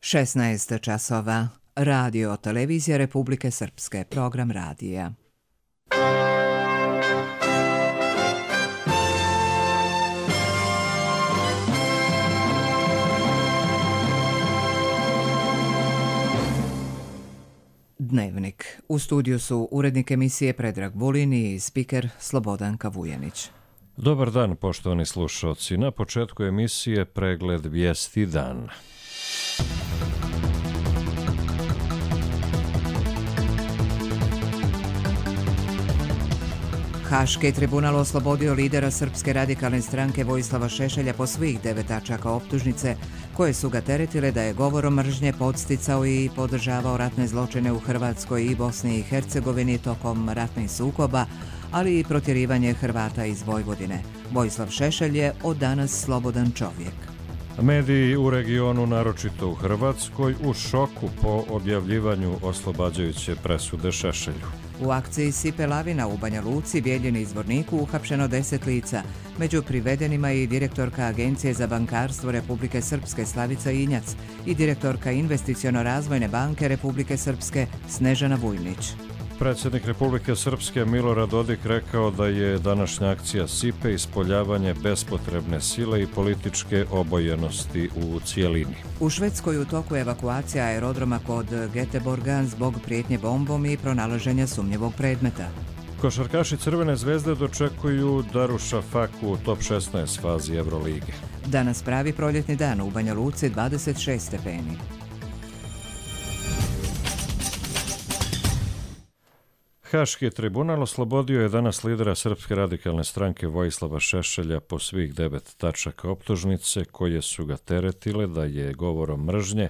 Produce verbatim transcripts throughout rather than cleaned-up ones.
šesnaest časova. Radio Televizija Republike Srpske. Program radija. Dnevnik. U studiju su urednik emisije Predrag Vulin i spiker Slobodanka Vujanić. Dobar dan, poštovani slušalci. Na početku emisije pregled vijesti dan. Haški tribunal oslobodio lidera Srpske radikalne stranke Vojislava Šešelja po svih devet tačaka optužnice koje su ga teretile da je govorom mržnje podsticao i podržavao ratne zločine u Hrvatskoj i Bosni i Hercegovini tokom ratnih sukoba, ali i protjerivanje Hrvata iz Vojvodine. Vojislav Šešelj je od danas slobodan čovjek. Mediji u regionu, naročito u Hrvatskoj, u šoku po objavljivanju oslobađajuće presude Šešelju. U akciji Sipe lavina u Banja Luci, Bijeljini i Zvorniku uhapšeno deset lica. Među privedenima i direktorka Agencije za bankarstvo Republike Srpske Slavica Injac i direktorka Investiciono-razvojne banke Republike Srpske Snežana Vujnić. Predsjednik Republike Srpske Milorad Dodik rekao da je današnja akcija Sipe ispoljavanje bespotrebne sile i političke obojenosti u cijelini. U Švedskoj u toku evakuacija aerodroma kod Göteborga zbog prijetnje bombom i pronalaženja sumnjivog predmeta. Košarkaši Crvene zvezde dočekuju Darushafaku u top šesnaest fazi Evrolige. Danas pravi proljetni dan u Banja Luci, dvadeset šest stepeni. Haški tribunal oslobodio je danas lidera Srpske radikalne stranke Vojislava Šešelja po svih devet tačaka optužnice koje su ga teretile da je govorom mržnje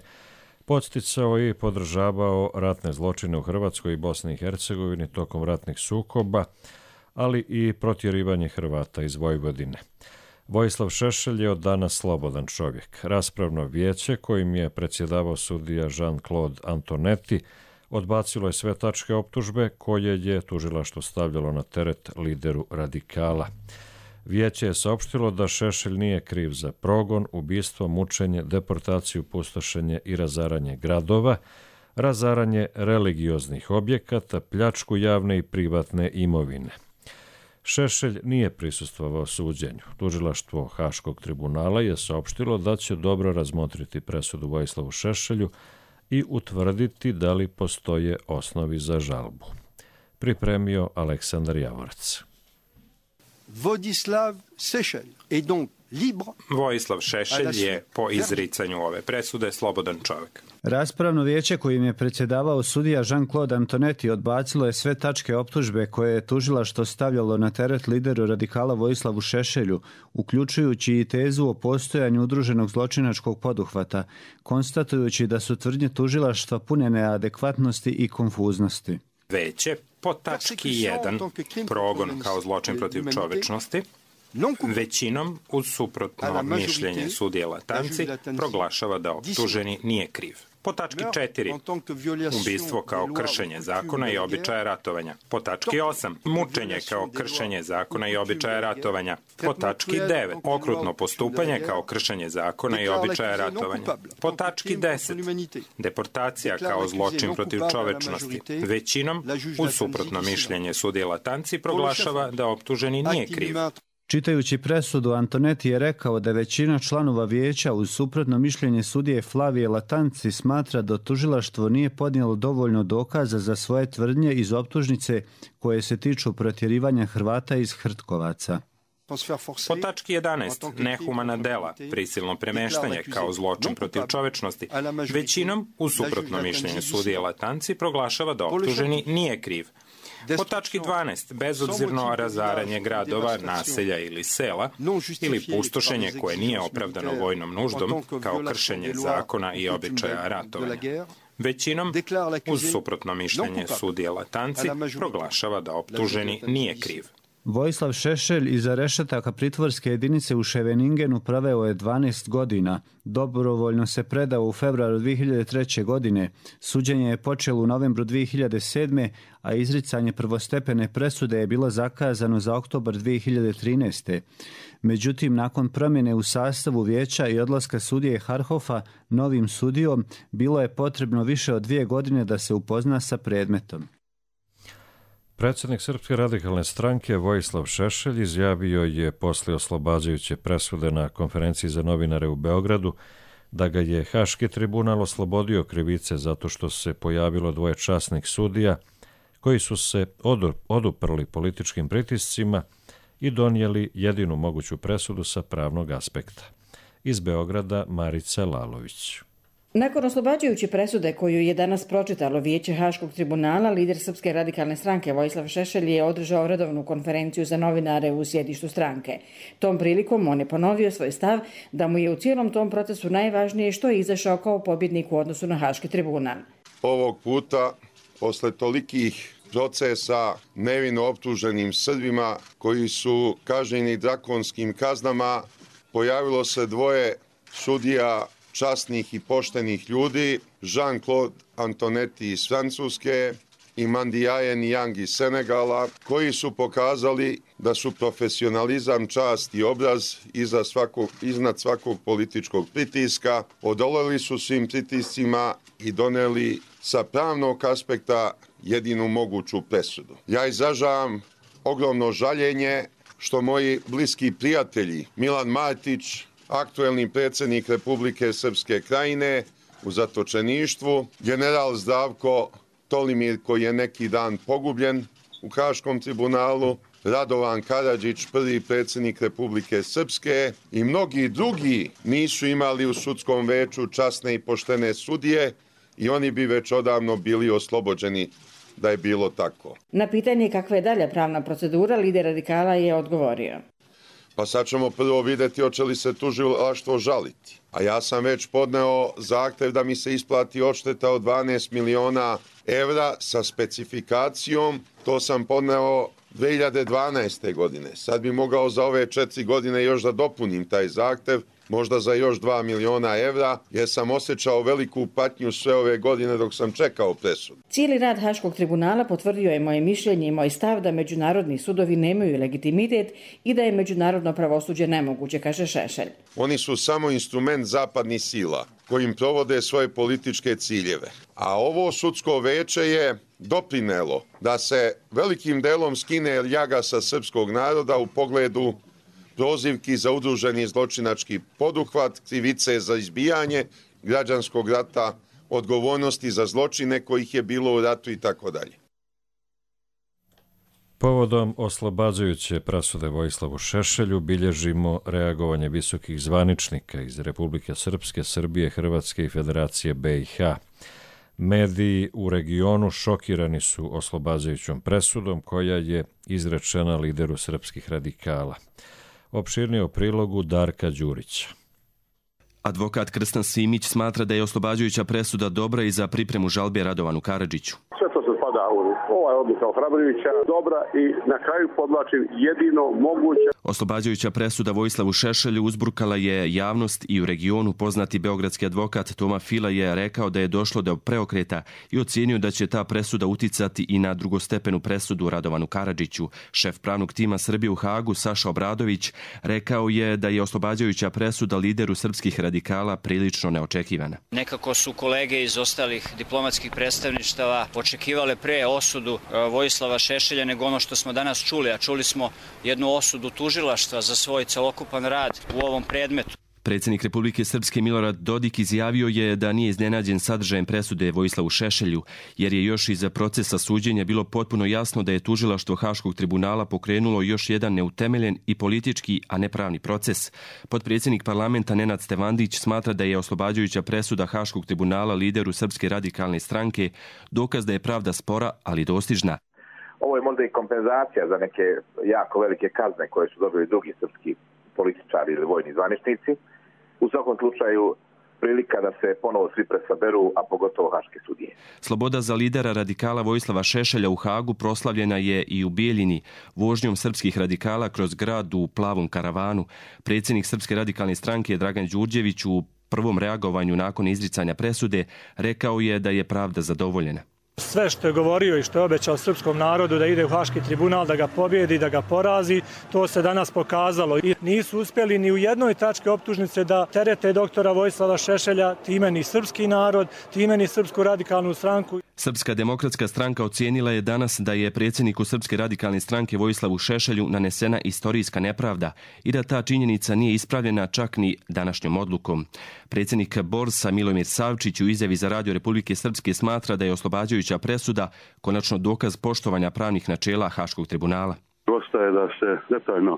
podsticao i podržavao ratne zločine u Hrvatskoj i Bosni i Hercegovini tokom ratnih sukoba, ali i protjerivanje Hrvata iz Vojvodine. Vojislav Šešelj je od danas slobodan čovjek. Raspravno vijeće kojim je predsjedavao sudija Jean-Claude Antonetti odbacilo je sve tačke optužbe koje je tužilaštvo stavljalo na teret lideru radikala. Vijeće je saopštilo da Šešelj nije kriv za progon, ubistvo, mučenje, deportaciju, pustošenje i razaranje gradova, razaranje religioznih objekata, pljačku javne i privatne imovine. Šešelj nije prisustvovao suđenju. Tužilaštvo Haškog tribunala je saopštilo da će dobro razmotriti presudu Vojislavu Šešelju i utvrditi da li postoje osnovi za žalbu. Pripremio Aleksandar Javorac. Vojislav Šešelj je donc libre. Vojislav Šešelj je po izricanju ove presude slobodan čovjek. Raspravno vijeće kojim je predsjedavao sudija Jean-Claude Antonetti odbacilo je sve tačke optužbe koje je tužilaštvo stavljalo na teret lideru radikala Vojislavu Šešelju, uključujući i tezu o postojanju udruženog zločinačkog poduhvata, konstatujući da su tvrdnje tužilaštva pune neadekvatnosti i konfuznosti. Veće po tački jedan, progon kao zločin protiv čovječnosti, većinom uz suprotno mišljenje sudije Latanci proglašava da optuženi nije kriv. Po tački četiri, ubistvo kao kršenje zakona i običaja ratovanja. Po tački osam, mučenje kao kršenje zakona i običaja ratovanja. Po tački devet, okrutno postupanje kao kršenje zakona i običaja ratovanja. Po tački deset, deportacija kao zločin protiv čovečnosti. Većinom, uz suprotno mišljenje sudije Latanci proglašava da optuženi nije kriv. Čitajući presudu, Antonetti je rekao da većina članova vijeća uz suprotno mišljenje sudije Flavije Latanci smatra da tužilaštvo nije podnijelo dovoljno dokaza za svoje tvrdnje iz optužnice koje se tiču protjerivanja Hrvata iz Hrtkovaca. Po tački jedanaest, nehumana dela, prisilno premeštanje kao zločin protiv čovečnosti, većinom, uz suprotno mišljenje sudije Latanci, proglašava da optuženi nije kriv. Po tački dvanaest, bezobzirno razaranje gradova, naselja ili sela ili pustošenje koje nije opravdano vojnom nuždom kao kršenje zakona i običaja ratovanja. Većinom, uz suprotno mišljenje sudije Latanci, proglašava da optuženi nije kriv. Vojislav Šešelj iza rešetaka pritvorske jedinice u Scheveningenu proveo je dvanaest godina. Dobrovoljno se predao u februaru dvije hiljade treće. godine. Suđenje je počelo u novembru dvije hiljade sedme. a izricanje prvostepene presude je bilo zakazano za oktobar dvije hiljade trinaeste. Međutim, nakon promjene u sastavu vijeća i odlaska sudije Harhofa novim sudijom, bilo je potrebno više od dvije godine da se upozna sa predmetom. Predsjednik Srpske radikalne stranke Vojislav Šešelj izjavio je poslije oslobađajuće presude na konferenciji za novinare u Beogradu da ga je Haški tribunal oslobodio krivice zato što se pojavilo dvoje časnih sudija koji su se oduprli političkim pritiscima i donijeli jedinu moguću presudu sa pravnog aspekta. Iz Beograda Marica Lalović. Nakon oslobađajuće presude koju je danas pročitalo Vijeće Haškog tribunala, lider Srpske radikalne stranke Vojislav Šešelj je održao redovnu konferenciju za novinare u sjedištu stranke. Tom prilikom on je ponovio svoj stav da mu je u cijelom tom procesu najvažnije što je izašao kao pobjednik u odnosu na Haški tribunal. Ovog puta, posle tolikih procesa nevino optuženim Srbima koji su kažnjeni drakonskim kaznama, pojavilo se dvoje sudija časnih i poštenih ljudi, Jean-Claude Antonetti iz Francuske i Mandiaye Niang iz Senegala, koji su pokazali da su profesionalizam, čast i obraz iza svakog, iznad svakog političkog pritiska, odoleli su svim pritiscima i doneli sa pravnog aspekta jedinu moguću presudu. Ja izražavam ogromno žaljenje što moji bliski prijatelji Milan Martić, aktuelni predsjednik Republike Srpske Krajine u zatočeništvu, general Zdravko Tolimir koji je neki dan pogubljen u Haškom tribunalu, Radovan Karadžić, prvi predsjednik Republike Srpske i mnogi drugi nisu imali u sudskom veću časne i poštene sudije i oni bi već odavno bili oslobođeni da je bilo tako. Na pitanje kakva je dalja pravna procedura, lider radikala je odgovorio. Pa sad ćemo prvo vidjeti hoće li se tužilaštvo žaliti. A ja sam već podneo zahtjev da mi se isplati odšteta od dvanaest miliona evra sa specifikacijom. To sam podneo dvije hiljade dvanaeste. godine. Sad bi mogao za ove četiri godine još da dopunim taj zahtjev, možda za još dva miliona evra, jer sam osjećao veliku patnju sve ove godine dok sam čekao presudu. Cijeli rad Haškog tribunala potvrdio je moje mišljenje i moj stav da međunarodni sudovi nemaju legitimitet i da je međunarodno pravosuđe nemoguće, kaže Šešelj. Oni su samo instrument zapadnih sila kojim provode svoje političke ciljeve. A ovo sudsko veće je doprinelo da se velikim delom skine ljaga sa srpskog naroda u pogledu prozivki za udruženi zločinački poduhvat, krivice za izbijanje građanskog rata, odgovornosti za zločine kojih je bilo u ratu i tako dalje. Povodom oslobađajuće presude Vojislavu Šešelju bilježimo reagovanje visokih zvaničnika iz Republike Srpske, Srbije, Hrvatske i Federacije B i H. Mediji u regionu šokirani su oslobađajućom presudom koja je izrečena lideru srpskih radikala. Opširnije u prilogu Darka Đurića. Advokat Krstan Simić smatra da je oslobađajuća presuda dobra i za pripremu žalbe Radovanu Karadžiću. Sve to se spada u ovaj odluka ohrabrujuća, dobra i na kraju podvlačim jedino moguće. Oslobađajuća presuda Vojislavu Šešelju uzburkala je javnost i u regionu. Poznati beogradski advokat Toma Fila je rekao da je došlo do preokreta i ocijenio da će ta presuda uticati i na drugostepenu presudu Radovanu Karadžiću. Šef pravnog tima Srbije u Hagu Saša Obradović rekao je da je oslobađajuća presuda lideru srpskih radikala prilično neočekivana. Nekako su kolege iz ostalih diplomatskih predstavništava očekivale pre osudu Vojislava Šešelja nego ono što smo danas čuli, a čuli smo jednu osudu tužilaštva za svoj celokupan rad u ovom predmetu. Predsjednik Republike Srpske Milorad Dodik izjavio je da nije iznenađen sadržajem presude Vojislavu Šešelju, jer je još iza procesa suđenja bilo potpuno jasno da je tužilaštvo Haškog tribunala pokrenulo još jedan neutemeljen i politički, a ne pravni proces. Potpredsjednik parlamenta Nenad Stevandić smatra da je oslobađajuća presuda Haškog tribunala lideru Srpske radikalne stranke dokaz da je pravda spora, ali dostižna. Ovo je možda i kompenzacija za neke jako velike kazne koje su dobili drugi srpski političari ili vojni zvaničnici. U svakom slučaju prilika da se ponovo svi presaberu, a pogotovo haške sudije. Sloboda za lidera radikala Vojislava Šešelja u Hagu proslavljena je i u Bijeljini vožnjom srpskih radikala kroz grad u plavom karavanu. Predsjednik Srpske radikalne stranke Dragan Đurđević u prvom reagovanju nakon izricanja presude rekao je da je pravda zadovoljena. Sve što je govorio i što je obećao srpskom narodu da ide u Haški tribunal, da ga pobjedi, da ga porazi, to se danas pokazalo. I nisu uspjeli ni u jednoj tački optužnice da terete doktora Vojislava Šešelja, time ni srpski narod, time ni Srpsku radikalnu stranku. Srpska demokratska stranka ocijenila je danas da je predsjedniku Srpske radikalne stranke Vojislavu Šešelju nanesena istorijska nepravda i da ta činjenica nije ispravljena čak ni današnjom odlukom. Predsjednik Borsa Milomir Savčić u izjavi za Radio Republike Srpske smatra da je oslobađajuća presuda konačno dokaz poštovanja pravnih načela Haškog tribunala. Ostaje da se detaljno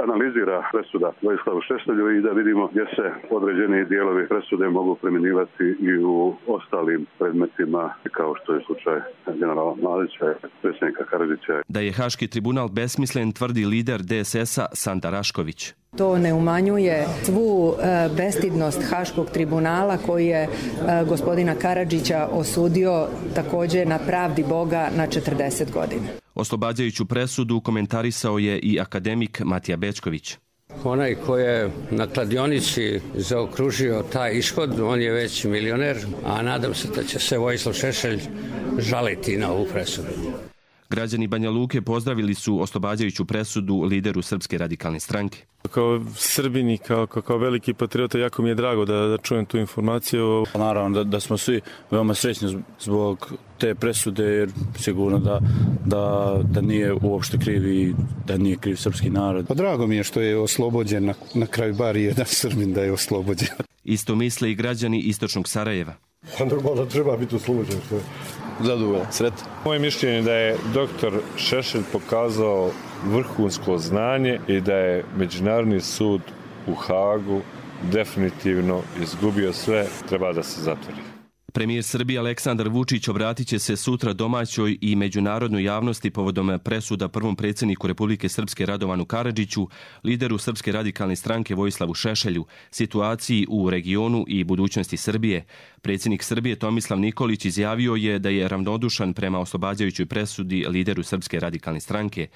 analizira presuda Vojislavu Šešelju i da vidimo gdje se određeni dijelovi presude mogu primjenjivati i u ostalim predmetima, kao što je slučaj generala Mladića i predsjednika Karadžića. Da je Haški tribunal besmislen, tvrdi lider D S S-a Sanda Rašković. To ne umanjuje svu bestidnost Haškog tribunala koji je gospodina Karadžića osudio također na pravdi Boga na četrdeset godina. Oslobađajuću presudu komentarisao je i akademik Matija Bečković. Onaj ko je na kladionici zaokružio taj ishod, on je već milioner, a nadam se da će se Vojislav Šešelj žaliti na ovu presudu. Građani Banja Luke pozdravili su oslobađajuću presudu lideru Srpske radikalne stranke. Kao Srbini, kao, kao veliki patriota, jako mi je drago da, da čujem tu informaciju. Naravno da, da smo svi veoma srećni zbog te presude, jer sigurno da, da, da nije uopšte kriv i da nije kriv srpski narod. Pa drago mi je što je oslobođen, na, na kraju bar jedan Srbin da je oslobođen. Isto misle i građani istočnog Sarajeva. Normalno treba biti oslobođen, što je zadovoljan, sretan. Moje mišljenje je da je doktor Šešelj pokazao vrhunsko znanje i da je Međunarodni sud u Hagu definitivno izgubio sve, treba da se zatvori. Premijer Srbije Aleksandar Vučić obratit će se sutra domaćoj i međunarodnoj javnosti povodom presuda prvom predsjedniku Republike Srpske Radovanu Karadžiću, lideru Srpske radikalne stranke Vojislavu Šešelju, situaciji u regionu i budućnosti Srbije. Predsjednik Srbije Tomislav Nikolić izjavio je da je ravnodušan prema oslobađajućoj presudi lideru Srpske radikalne stranke.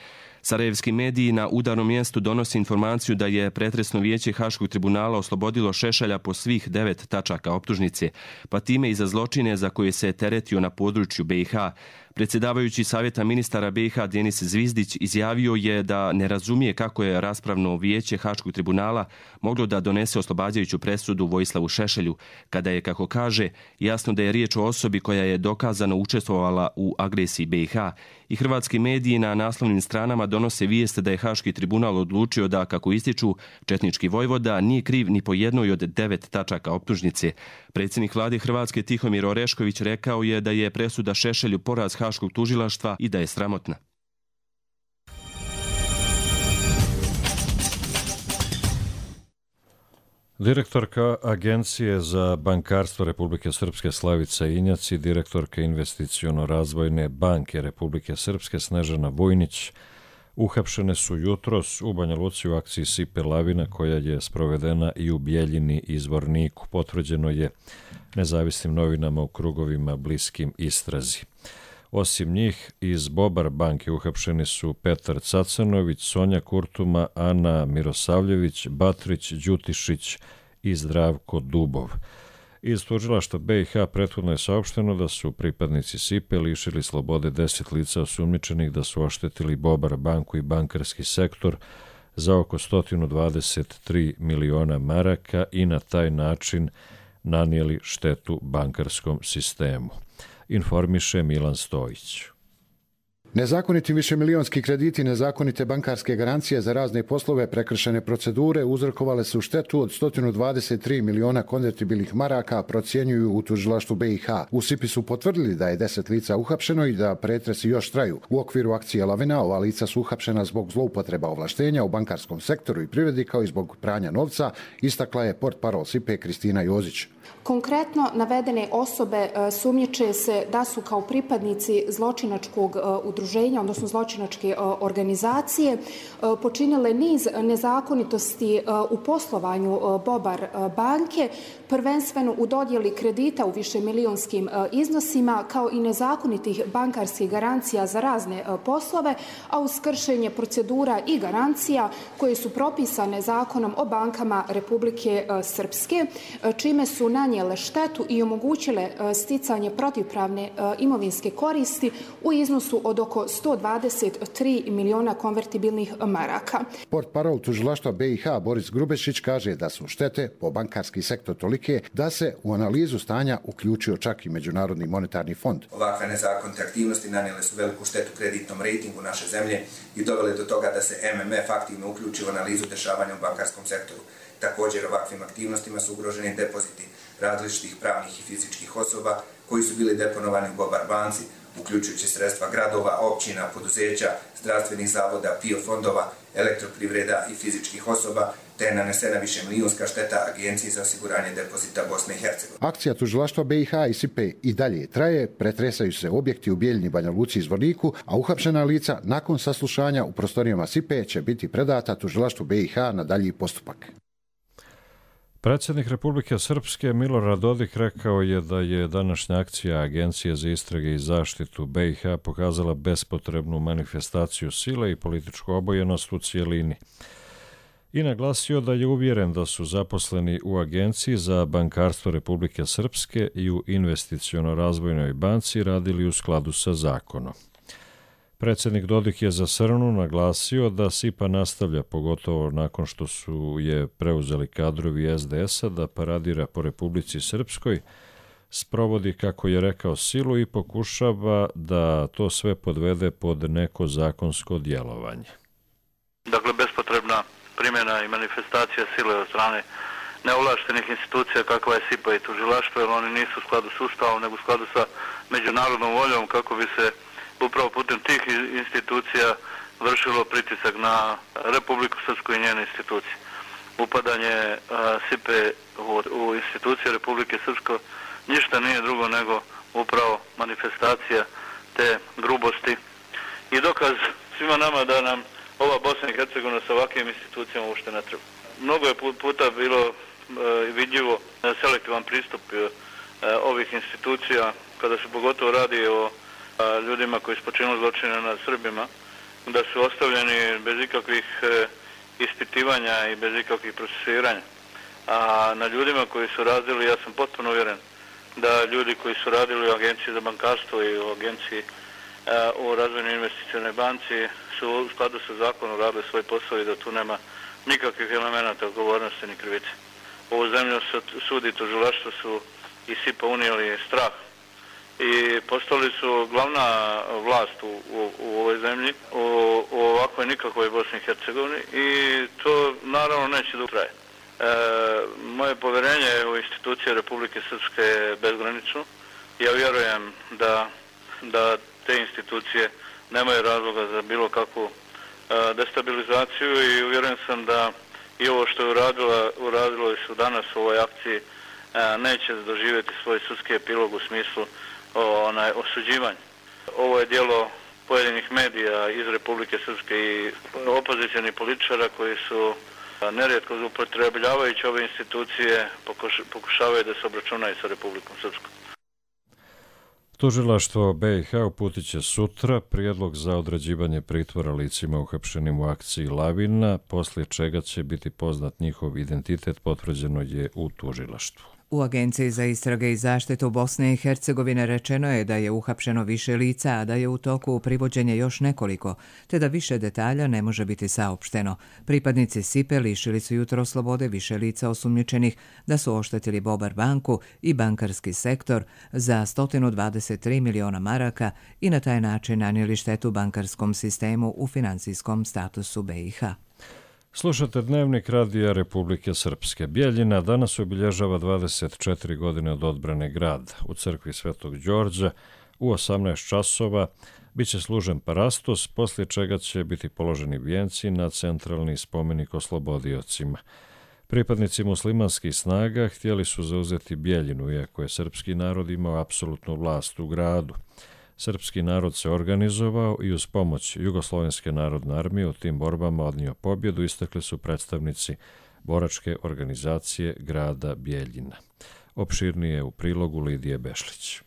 Sarajevski mediji na udarnom mjestu donose informaciju da je pretresno vijeće Haškog tribunala oslobodilo Šešelja po svih devet tačaka optužnice, pa time i za zločine za koje se teretio na području B i H. Predsjedavajući Savjeta ministara B i H Denis Zvizdić izjavio je da ne razumije kako je raspravno vijeće Haškog tribunala moglo da donese oslobađajuću presudu Vojislavu Šešelju, kada je, kako kaže, jasno da je riječ o osobi koja je dokazano učestvovala u agresiji B i H. I hrvatski mediji na naslovnim stranama donose vijest da je Haški tribunal odlučio da, kako ističu, četnički vojvoda nije kriv ni po jednoj od devet tačaka optužnice. Predsjednik vlade Hrvatske Tihomir Orešković rekao je da je presuda Šešelju poraz Haškog tužilaštva i da je sramotna. Direktorka Agencije za bankarstvo Republike Srpske Slavica Injac i direktorka Investiciono-razvojne banke Republike Srpske Snežana Vujnić uhapšene su jutros u Banja Luci u akciji Sipe lavina koja je sprovedena i u Bijeljini i Zvorniku. Potvrđeno je nezavisnim novinama u krugovima bliskim istrazi. Osim njih, iz Bobar banke uhapšeni su Petar Cacanović, Sonja Kurtuma, Ana Mirosavljević, Batrić, Đutišić i Zdravko Dubov. Iz tužilaštva B i H prethodno je saopšteno da su pripadnici Sipe lišili slobode deset lica osumnjičenih da su oštetili Bobar banku i bankarski sektor za oko sto dvadeset tri miliona maraka i na taj način nanijeli štetu bankarskom sistemu. Informiše Milan Stojić. Nezakoniti višemilijonski krediti, nezakonite bankarske garancije za razne poslove, prekršene procedure uzrokovale su štetu od sto dvadeset tri miliona konvertibilnih maraka, procjenjuju u tužilaštvu B i H. U Sipi su potvrdili da je deset lica uhapšeno i da pretresi još traju. U okviru akcije Lavina ova lica su uhapšena zbog zloupotreba ovlaštenja u bankarskom sektoru i privredi kao i zbog pranja novca, istakla je portparol Sipe Kristina Jozić. Konkretno navedene osobe sumnjiče se da su kao pripadnici zločinačkog udruženja udruženja, odnosno zločinačke organizacije, počinile niz nezakonitosti u poslovanju Bobar banke, prvenstveno u dodjeli kredita u višemilijonskim iznosima, kao i nezakonitih bankarskih garancija za razne poslove, a uz kršenje procedura i garancija koje su propisane Zakonom o bankama Republike Srpske, čime su nanijele štetu i omogućile sticanje protivpravne imovinske koristi u iznosu od oko sto dvadeset tri miliona konvertibilnih maraka. Portparol tužilaštva B i H Boris Grubešić kaže da su štete po bankarski sektor tolike da se u analizu stanja uključio čak i Međunarodni monetarni fond. Ovakve nezakonite aktivnosti nanijele su veliku štetu kreditnom rejtingu naše zemlje i dovele do toga da se M M F aktivno uključi u analizu dešavanja u bankarskom sektoru. Također ovakvim aktivnostima su ugroženi depoziti različitih pravnih i fizičkih osoba koji su bili deponovani u Bobar banci, uključujući sredstva gradova, općina, poduzeća, zdravstvenih zavoda, P I O fondova, elektroprivreda i fizičkih osoba, te je nanesena višemilijunska šteta Agenciji za osiguranje depozita Bosne i Hercegovine. Akcija tužilaštva B i H i S I P E i dalje traje, pretresaju se objekti u Bijeljini, Banja Luci i Zvorniku, a uhapšena lica nakon saslušanja u prostorijama S I P E će biti predata tužilaštvu B i H na dalji postupak. Predsjednik Republike Srpske Milorad Dodik rekao je da je današnja akcija Agencije za istrage i zaštitu B i H pokazala bespotrebnu manifestaciju sile i političku obojenost u cijelini. I naglasio da je uvjeren da su zaposleni u Agenciji za bankarstvo Republike Srpske i u Investiciono-razvojnoj banci radili u skladu sa zakonom. Predsjednik Dodik je za Srnu naglasio da S I P A nastavlja, pogotovo nakon što su je preuzeli kadrovi S D S-a, da paradira po Republici Srpskoj, sprovodi, kako je rekao, silu i pokušava da to sve podvede pod neko zakonsko djelovanje. Dakle, bespotrebna primjena i manifestacija sile od strane neovlaštenih institucija kakva je S I P A i tužilaštvo, jer oni nisu u skladu s Ustavom, nego u skladu sa međunarodnom voljom, kako bi se upravo putem tih institucija vršilo pritisak na Republiku Srpsku i njene institucije. Upadanje S I P E u institucije Republike Srpske ništa nije drugo nego upravo manifestacija te grubosti i dokaz svima nama da nam ova Bosna i Hercegovina sa ovakvim institucijama uopšte ne treba. Mnogo je puta bilo vidljivo selektivan pristup ovih institucija kada se pogotovo radi o ljudima koji su počinili zločine nad Srbima, da su ostavljeni bez ikakvih ispitivanja i bez ikakvih procesiranja. A na ljudima koji su radili, ja sam potpuno uvjeren da ljudi koji su radili u Agenciji za bankarstvo i u Agenciji u Razvojnoj investicionoj banci su u skladu sa zakonom radili svoj posao i da tu nema nikakvih elemenata odgovornosti ni krivice. Ovu zemlju sud i tužilaštvo su i S I P A unijeli strah i postali su glavna vlast u, u, u ovoj zemlji, u, u ovakvoj nikakvoj Bosni i Hercegovini i to naravno neće da traje. E, moje povjerenje u institucije Republike Srpske je bezgranično. Ja vjerujem da, da te institucije nemaju razloga za bilo kakvu e, destabilizaciju i uvjeren sam da i ovo što je uradila, uradilo su danas u ovoj akciji e, neće doživjeti svoj sudski epilog u smislu o onaj, osuđivanje. Ovo je djelo pojedinih medija iz Republike Srpske i opozicionih političara koji su nerijetko upotrebljavajući ove institucije pokušavaju da se obračunaju sa Republikom Srpskom. Tužilaštvo B i H uputit će sutra prijedlog za određivanje pritvora licima uhapšenim u akciji Lavina, poslije čega će biti poznat njihov identitet, potvrđeno je u tužilaštvu. U Agenciji za istrage i zaštitu Bosne i Hercegovine rečeno je da je uhapšeno više lica, a da je u toku privođenje još nekoliko, te da više detalja ne može biti saopšteno. Pripadnici S I P E lišili su jutro slobode više lica osumnjičenih da su oštetili Bobar banku i bankarski sektor za sto dvadeset tri miliona maraka i na taj način nanijeli štetu bankarskom sistemu u financijskom statusu B i H. Slušate Dnevnik radija Republike Srpske. Bijeljina danas obilježava dvadeset četiri godine od odbrane grada. U crkvi Svetog Đorđa u osamnaest časova biće služen parastos, poslije čega će biti položeni vijenci na centralni spomenik oslobodiocima. Pripadnici muslimanskih snaga htjeli su zauzeti Bijeljinu, iako je srpski narod imao apsolutnu vlast u gradu. Srpski narod se organizovao i uz pomoć Jugoslovenske narodne armije u tim borbama odnio pobjedu, istakli su predstavnici boračke organizacije grada Bijeljina. Opširnije u prilogu Lidije Bešlić.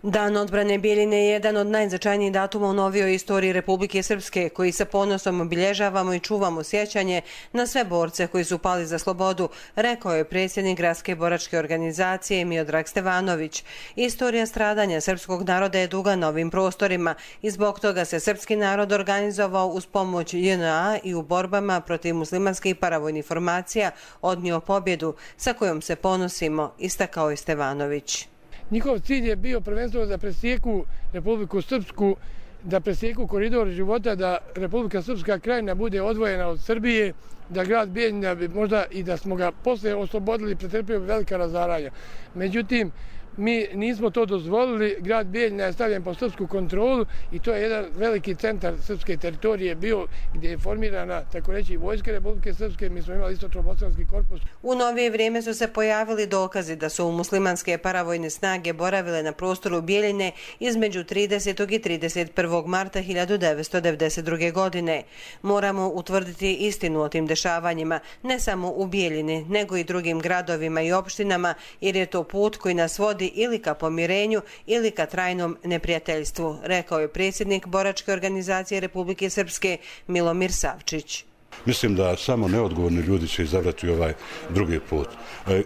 Dan odbrane Bijeljine je jedan od najznačajnijih datuma u novijoj istoriji Republike Srpske, koji sa ponosom obilježavamo i čuvamo sjećanje na sve borce koji su pali za slobodu, rekao je predsjednik Gradske boračke organizacije Miodrag Stevanović. Istorija stradanja srpskog naroda je duga na ovim prostorima i zbog toga se srpski narod organizovao uz pomoć J N A i u borbama protiv muslimanskih paravojnih formacija odnio pobjedu sa kojom se ponosimo, istakao je Stevanović. Njihov cilj je bio prvenstveno da presjeku Republiku Srpsku, da presjeku koridor života, da Republika Srpska krajina bude odvojena od Srbije, da grad Bijeljina bi možda i da smo ga posle oslobodili, pretrpio velika razaranja. Međutim, mi nismo to dozvolili, grad Bijeljina je stavljen pod srpsku kontrolu i to je jedan veliki centar srpske teritorije bio gdje je formirana, tako reći, vojska Republike Srpske, mi smo imali istočno-bosanski korpus. U novije vrijeme su se pojavili dokazi da su muslimanske paravojne snage boravile na prostoru Bijeljine između tridesetog i trideset prvog marta hiljadu devetsto devedeset druge. godine. Moramo utvrditi istinu o tim dešavanjima, ne samo u Bijeljini, nego i drugim gradovima i opštinama, jer je to put koji nas vodi ili ka pomirenju ili ka trajnom neprijateljstvu, rekao je predsjednik boračke organizacije Republike Srpske Milomir Savčić. Mislim da samo neodgovorni ljudi će izabrati ovaj drugi put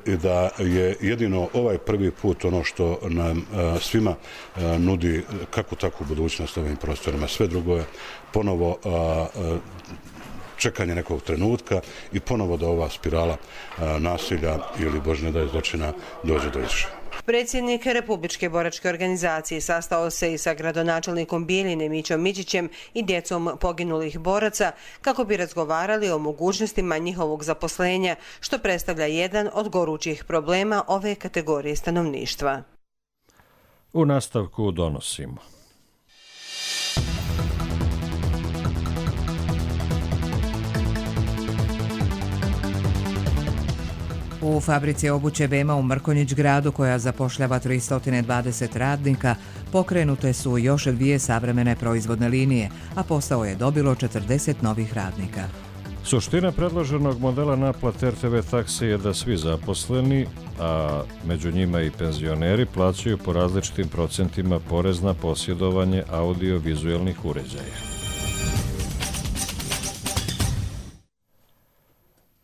i da je jedino ovaj prvi put ono što nam svima nudi kako takvu budućnost ovim prostorima. Sve drugo je ponovo čekanje nekog trenutka i ponovo da ova spirala nasilja ili Bože ne daj zločina dođe do izražaja. Predsjednik Republičke boračke organizacije sastao se i sa gradonačelnikom Bijeljine Mićom Mićićem i djecom poginulih boraca kako bi razgovarali o mogućnostima njihovog zaposlenja, što predstavlja jedan od gorućih problema ove kategorije stanovništva. U nastavku donosimo. U fabrici obuće Bema u Mrkonjić gradu, koja zapošljava tristo dvadeset radnika, pokrenute su još dvije savremene proizvodne linije, a posao je dobilo četrdeset novih radnika. Suština predloženog modela naplate R T V takse je da svi zaposleni, a među njima i penzioneri, plaćaju po različitim procentima porez na posjedovanje audio-vizuelnih uređaja.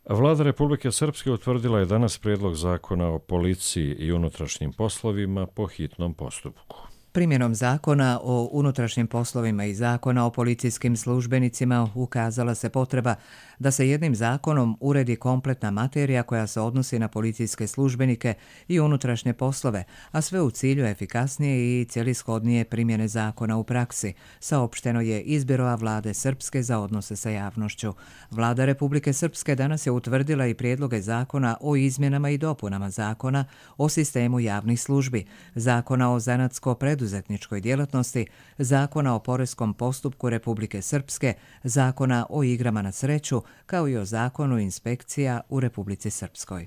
Vlada Republike Srpske utvrdila je danas prijedlog zakona o policiji i unutrašnjim poslovima po hitnom postupku. Primjenom zakona o unutrašnjim poslovima i zakona o policijskim službenicima ukazala se potreba da se jednim zakonom uredi kompletna materija koja se odnosi na policijske službenike i unutrašnje poslove, a sve u cilju efikasnije i cjelishodnije primjene zakona u praksi, saopšteno je iz Biroa Vlade Srpske za odnose sa javnošću. Vlada Republike Srpske danas je utvrdila i prijedloge zakona o izmjenama i dopunama zakona o sistemu javnih službi, zakona o zanatsko-preduzetničkoj djelatnosti, zakona o poreskom postupku Republike Srpske, zakona o igrama na sreću, kao i o zakonu inspekcija u Republici Srpskoj.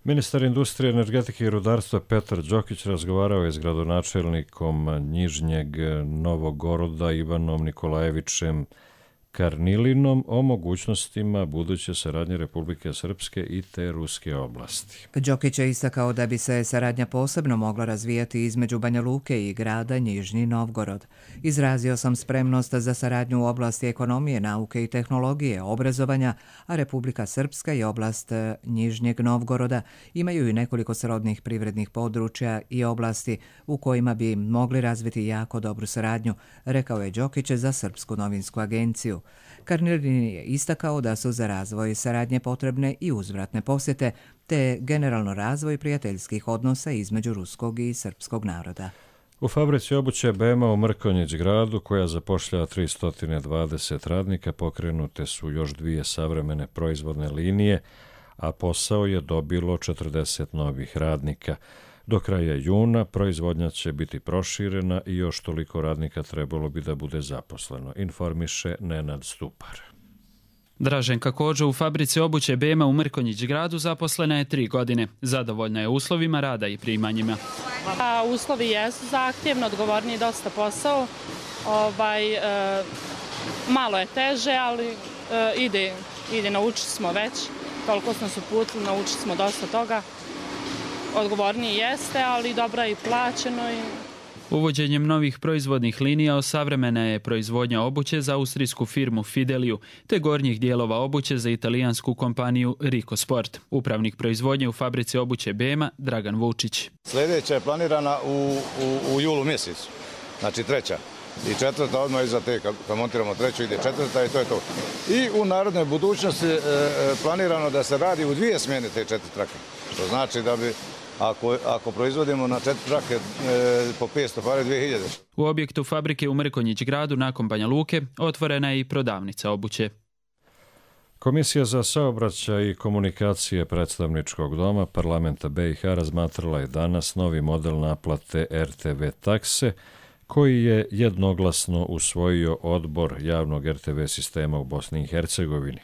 Ministar industrije, energetike i rudarstva Petar Đokić razgovarao je s gradonačelnikom Njižnjeg Novogoroda Ivanom Nikolajevićem Karnilinom o mogućnostima buduće saradnje Republike Srpske i te ruske oblasti. Đokić je istakao da bi se saradnja posebno mogla razvijati između Banja Luke i grada Njižni Novgorod. Izrazio sam spremnost za saradnju u oblasti ekonomije, nauke i tehnologije, obrazovanja, a Republika Srpska i oblast Njižnjeg Novgoroda imaju i nekoliko srodnih privrednih područja i oblasti u kojima bi mogli razviti jako dobru saradnju, rekao je Đokić za Srpsku novinsku agenciju. Karnilin je istakao da su za razvoj saradnje potrebne i uzvratne posjete, te generalno razvoj prijateljskih odnosa između ruskog i srpskog naroda. U fabrici obuće Bema u Mrkonjić gradu, koja zapošljava tristo dvadeset radnika, pokrenute su još dvije savremene proizvodne linije, a posao je dobilo četrdeset novih radnika. Do kraja juna proizvodnja će biti proširena i još toliko radnika trebalo bi da bude zaposleno, informiše Nenad Stupar. Draženka Kođo u fabrici obuće Bema u Mrkonjić gradu zaposlena je tri godine. Zadovoljna je uslovima rada i primanjima. A, uslovi jesu zahtjevni, odgovorni dosta posao. Ovaj, e, malo je teže, ali e, ide, ide, naučili smo već. Toliko smo se uputili, naučili smo dosta toga. Odgovorniji jeste, ali dobro je i plaćeno. I... Uvođenjem novih proizvodnih linija osavremena je proizvodnja obuće za austrijsku firmu Fideliju, te gornjih dijelova obuće za italijansku kompaniju Rico Sport. Upravnik proizvodnje u fabrici obuće Bema, Dragan Vučić. Sljedeća je planirana u, u, u julu mjesecu, znači treća. I četvrta odmah iza te, kad montiramo treću, ide četvrta i to je to. I u narodnoj budućnosti e, planirano da se radi u dvije smjene te četiri trake. To znači da bi Ako, ako proizvodimo na četiri trake e, po petsto pare dvije hiljade. U objektu fabrike u Mrkonjić gradu nakon Banja Luke otvorena je i prodavnica obuće. Komisija za saobraćaj i komunikacije predstavničkog doma parlamenta B i H razmatrala je danas novi model naplate R T V takse koji je jednoglasno usvojio odbor javnog R T V sistema u Bosni i Hercegovini.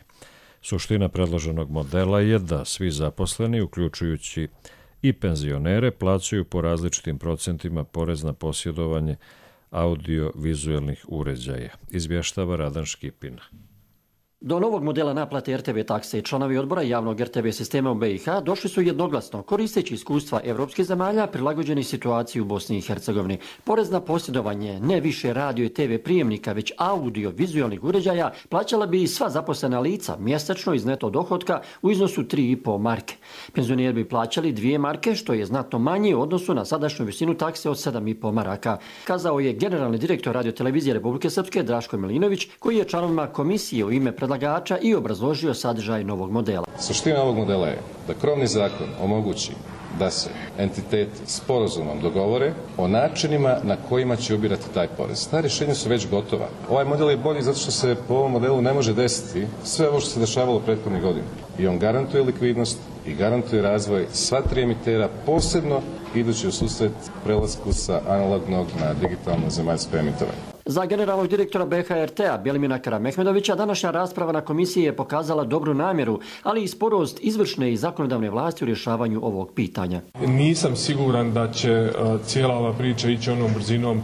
Suština predloženog modela je da svi zaposleni, uključujući i penzionere, plaćaju po različitim procentima porez na posjedovanje audio-vizuelnih uređaja, izvještava Radan Škipina. Do novog modela naplate R T V takse članovi odbora javnog R T V sistema u B i H došli su jednoglasno, koristeći iskustva evropskih zemalja prilagođenih situaciji u Bosni i Hercegovini. Porez na posjedovanje ne više radio i T V prijemnika, već audio-vizualnih uređaja plaćala bi i sva zaposlena lica mjesečno iz neto dohotka u iznosu tri i po marke. Penzioneri bi plaćali dvije marke, što je znatno manje u odnosu na sadašnju visinu takse od sedam i po maraka, kazao je generalni direktor radiotelevizije Republike Srpske Draško Milinović, koji je članovima komisije u ime predlagača i obrazložio sadržaj novog modela. Suština ovog modela je da krovni zakon omogući da se entiteti sporazumom dogovore o načinima na kojima će ubirati taj porez. Ta rješenja su već gotova. Ovaj model je bolji zato što se po ovom modelu ne može desiti sve ovo što se dešavalo prethodnih godina. I on garantuje likvidnost i garantuje razvoj sva tri emitera, posebno idući u susret prelasku sa analognog na digitalno zemaljsko emitovanje. Za generalnog direktora B H R T-a Bjelimina Karamehmedovića današnja rasprava na komisiji je pokazala dobru namjeru, ali i sporost izvršne i zakonodavne vlasti u rješavanju ovog pitanja. Nisam siguran da će cijela ova priča ići onom brzinom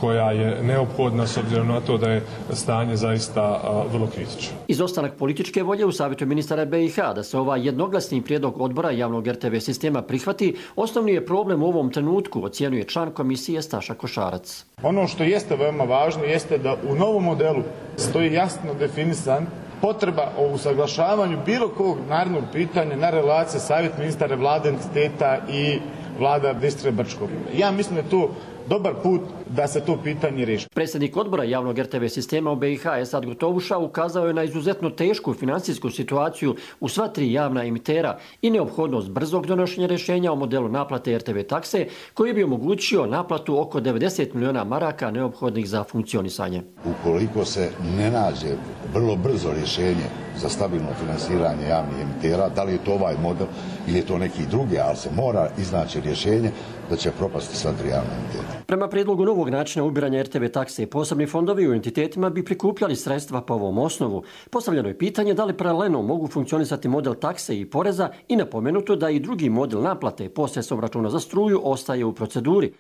koja je neophodna s obzirom na to da je stanje zaista vrlo kritično. Izostanak političke volje u savjetu ministara B i H da se ovaj jednoglasni prijedlog odbora javnog R T V sistema prihvati, osnovni je problem u ovom trenutku, ocjenjuje član komisije Staša Košarac. Ono što jeste veoma važno jeste da u novom modelu stoji jasno definisan potreba o usaglašavanju bilo kog narednog pitanja na relacije savjet ministara vlade entiteta i vlada Bistre Brčkog. Ja mislim da je to dobar put da se to pitanje riješi. Predsjednik odbora javnog R T V sistema u B i H Esad Gotovuša ukazao je na izuzetno tešku financijsku situaciju u sva tri javna emitera i neophodnost brzog donošenja rješenja o modelu naplate R T V takse koji bi omogućio naplatu oko devedeset miliona maraka neophodnih za funkcionisanje. Ukoliko se ne nađe vrlo brzo rješenje za stabilno finansiranje javnih emitera, da li je to ovaj model ili je to neki drugi, ali se mora iznaći rješenje da će propasti sva tri javna emitera. Prema prijedlogu novog načina ubiranja R T V takse, posebni fondovi u entitetima bi prikupljali sredstva po ovom osnovu. Postavljeno je pitanje da li paralelno mogu funkcionisati model takse i poreza i napomenuto da i drugi model naplate posredstvom računa za struju ostaje u proceduri.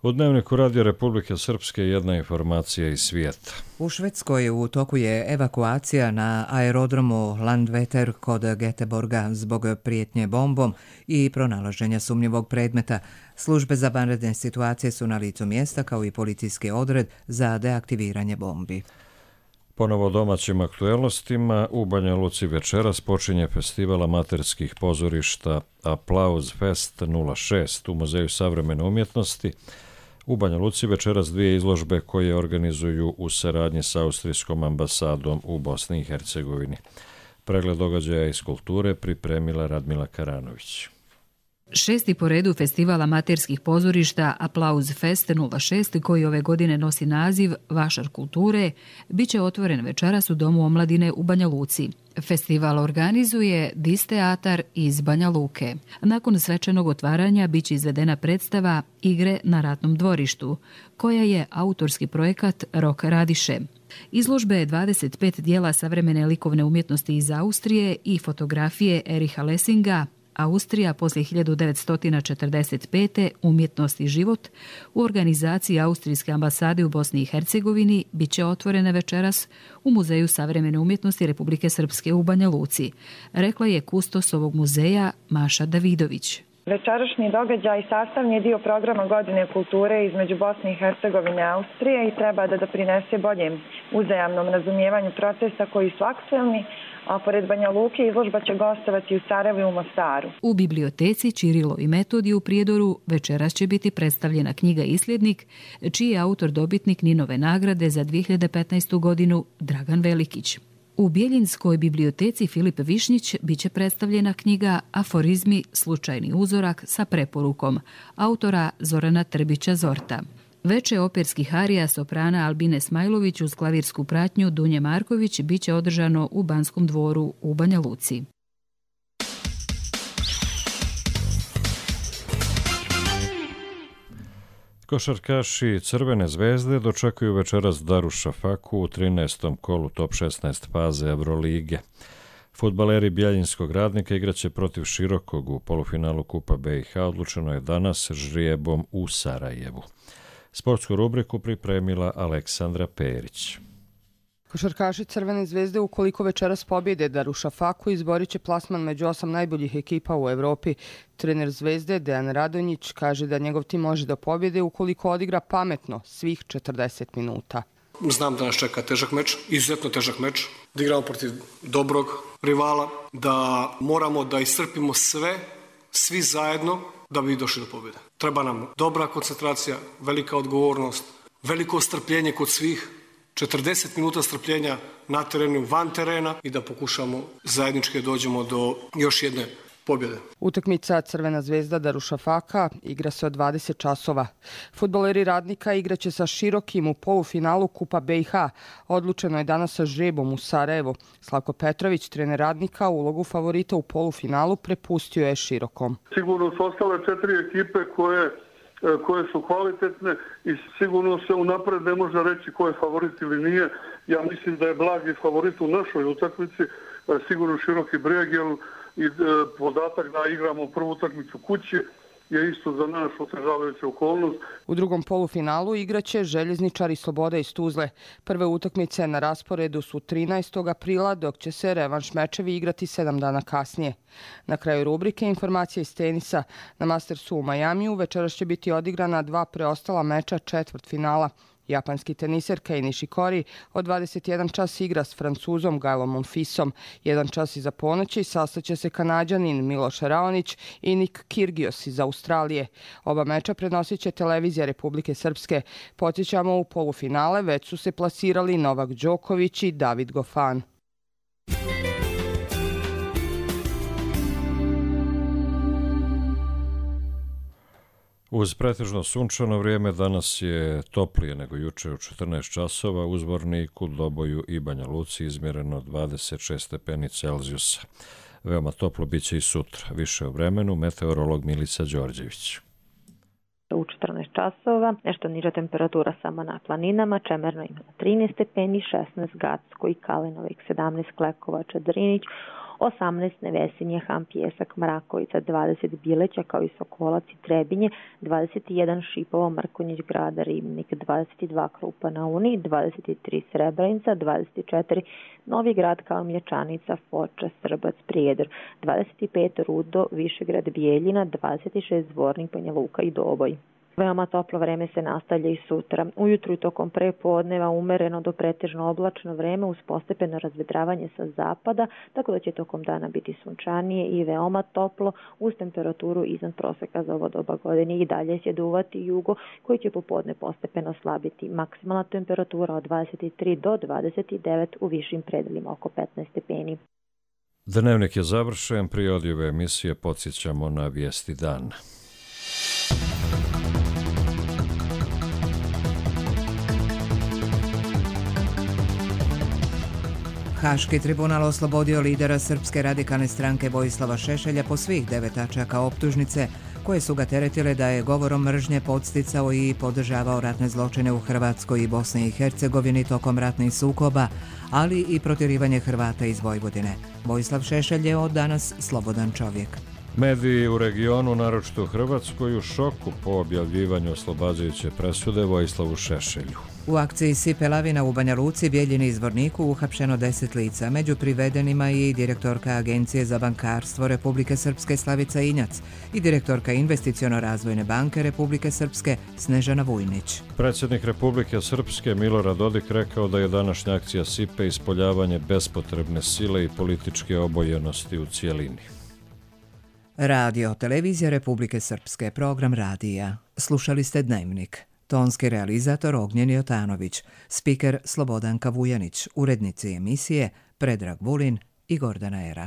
U Dnevniku Radio Republike Srpske jedna informacija iz svijeta. U Švedskoj u toku je evakuacija na aerodromu Landvetter kod Göteborga zbog prijetnje bombom i pronalaženja sumnjivog predmeta. Službe za vanredne situacije su na licu mjesta kao i policijski odred za deaktiviranje bombi. Ponovo domaćim aktuelnostima u Banja Luci večeras počinje festival amaterskih pozorišta Applaus Fest nula šest u Muzeju savremene umjetnosti. U Banja Luci večeras dvije izložbe koje organizuju u saradnji sa Austrijskom ambasadom u Bosni i Hercegovini. Pregled događaja iz kulture pripremila Radmila Karanović. Šesti po redu festival amaterskih pozorišta Aplauz Fest nula šest, koji ove godine nosi naziv Vašar kulture, bit će otvoren večeras u Domu omladine u Banja Luci. Festival organizuje Dis teatar iz Banja Luke. Nakon svečanog otvaranja bit će izvedena predstava Igre na ratnom dvorištu, koja je autorski projekat Rok Radiše. Izložbe je dvadeset pet dijela savremene likovne umjetnosti iz Austrije i fotografije Eriha Lessinga, Austrija poslije hiljadu devetsto četrdeset pete. Umjetnost i život u organizaciji Austrijske ambasade u Bosni i Hercegovini bit će otvorene večeras u Muzeju savremene umjetnosti Republike Srpske u Banja Luci, rekla je kustos ovog muzeja Maša Davidović. Večerašnji događaj sastavni je dio programa Godine kulture između Bosne i Hercegovine i Austrije i treba da doprinese boljem uzajamnom razumijevanju procesa koji su aktuelni, a pored Banja Luke izložba će gostovati u Sarajevu i u Mostaru. U biblioteci Čirilo i Metodij u Prijedoru večeras će biti predstavljena knjiga Isljednik, čiji je autor dobitnik Ninove nagrade za dvije hiljade petnaestu. godinu Dragan Velikić. U Bjeljinskoj biblioteci Filip Višnjić bit će predstavljena knjiga Aforizmi, slučajni uzorak sa preporukom autora Zorana Trbića Zorta. Veče operskih arija soprana Albine Smajlović uz klavirsku pratnju Dunje Marković bit će održano u Banskom dvoru u Banja Luci. Košarkaši Crvene zvezde dočekuju večeras Darušafaku u trinaestom kolu top šesnaest faze Evrolige. Fudbaleri Bjeljinskog Radnika igraće protiv Širokog u polufinalu Kupa B i H, odlučeno je danas žrijebom u Sarajevu. Sportsku rubriku pripremila Aleksandra Perić. Košarkaši Crvene zvezde ukoliko večeras pobjede Darušafaku izborit će plasman među osam najboljih ekipa u Evropi. Trener Zvezde Dejan Radonjić kaže da njegov tim može da pobjede ukoliko odigra pametno svih četrdeset minuta. Znam da nas čeka težak meč, izuzetno težak meč, da igramo protiv dobrog rivala, da moramo da iscrpimo sve, svi zajedno da bi došli do pobjede. Treba nam dobra koncentracija, velika odgovornost, veliko strpljenje kod svih, četrdeset minuta strpljenja na terenu, van terena i da pokušamo zajednički dođemo do još jedne pobjede. Utakmica Crvena zvezda Darušafaka igra se od dvadeset časova. Fudbaleri Radnika igraće sa Širokim u polufinalu Kupa B i H. Odlučeno je danas sa žrebom u Sarajevu. Slavko Petrović, trener Radnika, ulogu favorita u polufinalu prepustio je Širokom. Sigurno su ostale četiri ekipe koje koje su kvalitetne i sigurno se unapred ne može reći ko je favorit ili nije. Ja mislim da je blagi favorit u našoj utakmici, sigurno Široki Brijeg, jer i podatak da igramo prvu utakmicu kući je isto za nas otežavajuća okolnost. U drugom polufinalu igraće Željezničari Sloboda iz Tuzle. Prve utakmice na rasporedu su trinaestog aprila, dok će se revanš mečevi igrati sedam dana kasnije. Na kraju rubrike informacije iz tenisa. Na Mastersu u Majamiju večeras će biti odigrana dva preostala meča četvrtfinala. Japanski teniser Kei Nishikori od dvadeset jedan čas igra s Francuzom Gaelom Monfisom. Jedan čas iza ponoći sastaće se Kanađanin Miloš Raonić i Nik Kyrgios iz Australije. Oba meča prenosit će televizija Republike Srpske. Podsjećamo, u polufinale već su se plasirali Novak Đoković i David Goffin. Uz pretežno sunčano vrijeme danas je toplije nego juče u četrnaest časova, u Zvorniku, Doboju i Banja Luci izmjereno dvadeset šest stepeni Celzijusa. Veoma toplo bit će i sutra. Više o vremenu, meteorolog Milica Đorđević. U četrnaest časova, nešto niža temperatura samo na planinama, Čemerno ima trinaest stepeni, šesnaest Gacko i Kalinovik, sedamnaest Klekovača, Drinić, osamnaest Nevesinje, Ham, Pjesak, Mrakovica, dvadeset Bileća kao i Sokolac i Trebinje, dvadeset jedan Šipovo, Mrkonjić, Grada, Ribnik, dvadeset dva Krupa na Uni, dvadeset tri Srebrenica, dvadeset četiri Novi Grad, Kalmječanica, Foča, Srbac, Prijedor, dvadeset pet Rudo, Višegrad, Bijeljina, dvadeset šest Zvornik, Banja Luka i Doboj. Veoma toplo vreme se nastavlja i sutra. Ujutru i tokom prepodneva umereno do pretežno oblačno vreme uz postepeno razvedravanje sa zapada, tako da će tokom dana biti sunčanije i veoma toplo uz temperaturu iznad proseka za ovo doba godine. I dalje će duvati jugo koji će popodne postepeno slabiti. Maksimalna temperatura od dvadeset tri do dvadeset devet, u višim predelima oko petnaest stepeni. Dnevnik je završen, prije odjave emisije podsjećamo na vijesti dana. Haški tribunal oslobodio lidera Srpske radikalne stranke Vojislava Šešelja po svih devet tačaka optužnice koje su ga teretile da je govorom mržnje podsticao i podržavao ratne zločine u Hrvatskoj i Bosni i Hercegovini tokom ratnih sukoba, ali i protjerivanje Hrvata iz Vojvodine. Vojislav Šešelj je od danas slobodan čovjek. Mediji u regionu, naročito u Hrvatskoj, u šoku po objavljivanju oslobađajuće presude Vojislavu Šešelju. U akciji Sipe lavina u Banja Luci, Bijeljini i Zvorniku uhapšeno deset lica, među privedenima i direktorka Agencije za bankarstvo Republike Srpske Slavica Injac i direktorka Investiciono-razvojne banke Republike Srpske Snežana Vujnić. Predsjednik Republike Srpske Milorad Dodik rekao da je današnja akcija Sipe ispoljavanje bespotrebne sile i političke obojenosti u cijelini. Radio, televizija Republike Srpske, program radija. Slušali ste Dnevnik. Tonski realizator Ognjen Jotanović, spiker Slobodanka Vujanić, urednici emisije Predrag Vulin i Gordana Era.